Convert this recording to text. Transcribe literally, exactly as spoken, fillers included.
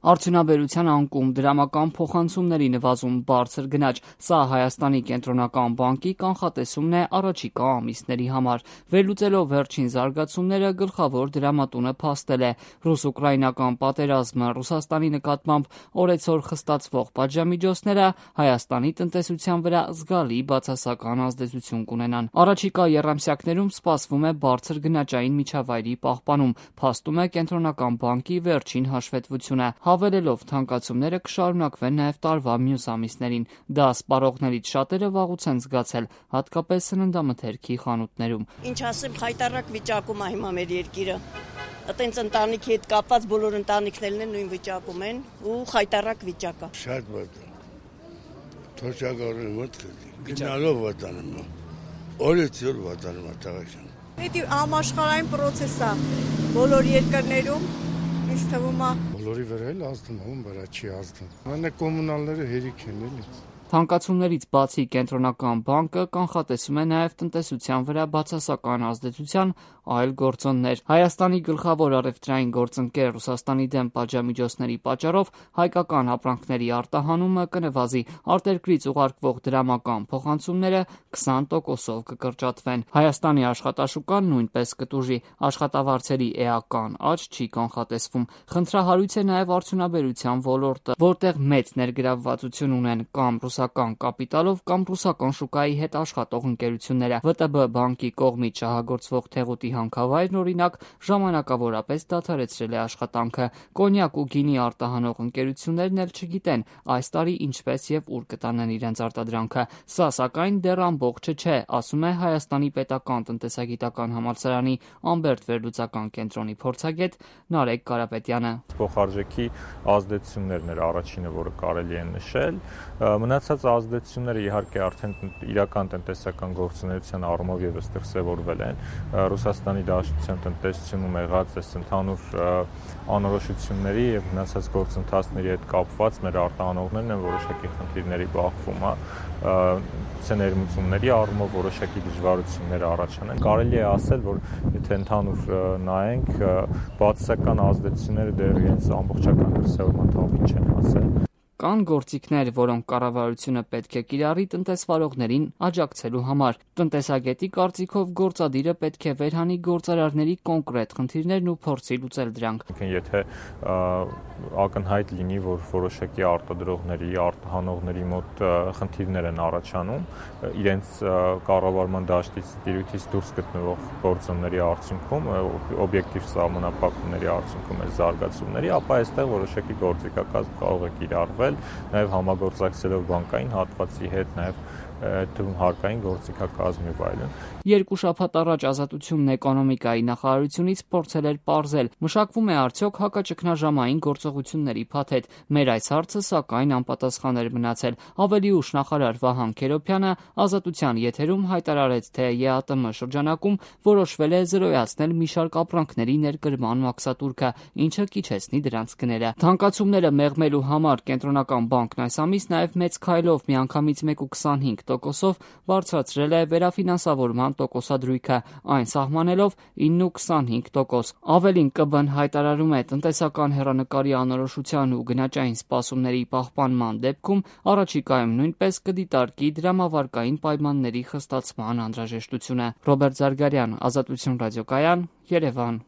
Արդյունաբերության անկում, դրամական փոխանցումների նվազում, բարձր գնաճ, սա Հայաստանի կենտրոնական բանկի կանխատեսումն է առաջիկա ամիսների համար։ Վերլուծելով վերջին զարգացումները, գլխավոր դրամատունը փաստել է՝ ռուս-ուկրաինական պատերազմը, Ռուսաստանի նկատմամբ օրեցօր խստացվող պատժամիջոցները Հայաստանի տնտեսության վրա զգալի բացասական ազդեցություն կունենան։ Առաջիկա եռամսյակներում սպասվում է բարձր գնաճային միջավայրի պահպանում, փաստում է կենտրոնական բանկի վերջին հաշվետվությունը, հավելելով թանկացումները կշարունակվեն նաև տարվա մյուս ամիսներին։ Դա սպառողներից շատերը վաղուց են զգացել, հատկապես սննդամթերքի խանութներում։ Ինչ ասեմ, խայտառակ վիճակում է հիմա մեր երկիրը։ Այտենց ընտանիքի հետ կապված բոլոր ընտանիքներն են նույն վիճակում են ու խայտառակ վիճակ է։ Շատ վատ է։ Թոշակառու մոտ գնալով վատանում է։ Օրից օր վատանում է տղաշան։ Դա համաշխարհային process է բոլոր երկրներում, ինձ թվում է բոլորի վրա էլ ազդում է, ում վրա չի ազդում։ Մանե կոմունալները հերիք են էլի։ Թանկացումներից բացի կենտրոնական բանկը կանխատեսում է նաև տնտեսության վրա բացասական ազդեցության այլ գործոններ։ Հայաստանի գլխավոր առևտրային գործընկեր Ռուսաստանի դեմ պատժամիջոցների պատճառով հայկական ապրանքների արտահանումը կնվազի, արտերկրից ուղարկվող դրամական փոխանցումները քսան տոկոսով կկրճատվեն։ Հայաստանի աշխատաշուկան նույնպես կտուժի, աշխատավարձերի էական աճ չի կանխատեսվում։ Խնդրահարույց է նաև արդյունաբերության ոլորտը, որտեղ մեծ ներգրավվածություն ունեն կամ ռուսական կապիտալով կամ ռուսական շուկայի հետ աշխատող ընկերությունները։ ՎՏԲ բանկի կողմից շահագործվող Թեղուտի հանքավայրն օրինակ ժամանակավորապես դադարեցրել է աշխատանքը։ Կոնյակ ու գինի արտահանող ընկերություններն էլ չգիտեն այս տարի ինչպես եւ ուր կտանեն իրենց արտադրանքը։ Սա սակայն դեռ ամբողջը չէ, ասում է Հայաստանի պետական տնտեսագիտական համալսարանի Ամբերտ վերլուծական կենտրոնի փորձագետ Նարեկ Կարապետյանը։ Փոխարժեքի ազդեցություններն էր առաջինը, որը կարելի է նշել։ Մնացած ազդեցությունները իհարկե արդեն իրական տնտեսական գործունեության առումով եւս դրսևորվել են։ Ռուսաստանի Դաշնության տնտեսությունում եղած այս ընդհանուր անորոշությունների եւ մնացած գործընթացների հետ կապված մեր արտահանողներն են որոշակի խնդիրների բախվում, ցեներմությունների առումով որոշակի դժվարություններ առաջանան։ Կարելի է ասել, որ եթե ընդհանուր նայենք, բացասական ազդեցությունները դեռ իրենց ամբողջական դրսևորման թափին չեն հասել։ Կան գործիքներ, որոնք կառավարությունը պետք է կիրառի տնտեսվարողներին աջակցելու համար։ Տնտեսագետի կարծիքով գործադիրը պետք է վերհանի գործարարների կոնկրետ խնդիրներն ու փորձի լուծել դրանք։ Եթե ակնհայտ լինի, որ որոշակի արտադրողների, արտահանողների մոտ խնդիրներ են առաջանում, իրենց կառավարման դաշտից տիրույթից դուրս գտնվող գործոնների արդյունքում, օբյեկտիվ սահմանափակումների արդյունքում այս զարգացումների, ապա այստեղ որոշակի գործիքակազմ կարող է կիրառվել, նաև համագործակցելով բանկային հատվածի հետ, նաև թվում հարկային գործիքակազմ եւ այլն։ Երկու շաբաթ առաջ Ազատությունն էկոնոմիկայի նախարարությունից փորձել էր պարզել, մշակվում է արդյոք հակաճգնաժամային գործողությունների փաթեթ։ Մեր այս հարցը սակայն անպատասխան էր մնացել։ Ավելի ուշ նախարար Վահան Քերոբյանը Ազատության եթերում հայտարարեց, թե ԵԱՏՄ շրջանակում որոշվել է զրոյացնել մի շարք ապրանքների ներկրման մաքսատուրքը, ինչը կիչեցնի դրանց գները։ Թանկացումները մեղմելու համար կենտրոնական բանկն այս ամիս նաև մեծ քայլով միանգամից մեկ կoma քսանհինգ տոկոսով բարձրացրել է վերաֆինանսավորման տոկոսադրույքը, այն սահմանելով ինը կoma քսանհինգ տոկոս։ Ավելին, ԿԲ-ն հայտարարում է տնտեսական հեռանկարի անորոշության ու գնաճային սպասումների պահպանման դեպքում առաջիկայում նույնպես կդիտարկի դրամավարկային պայմանների խստացման անհրաժեշտությունը։ Ռոբերտ Զարգարյան, Ազատություն ռադիոկայան, Երևան։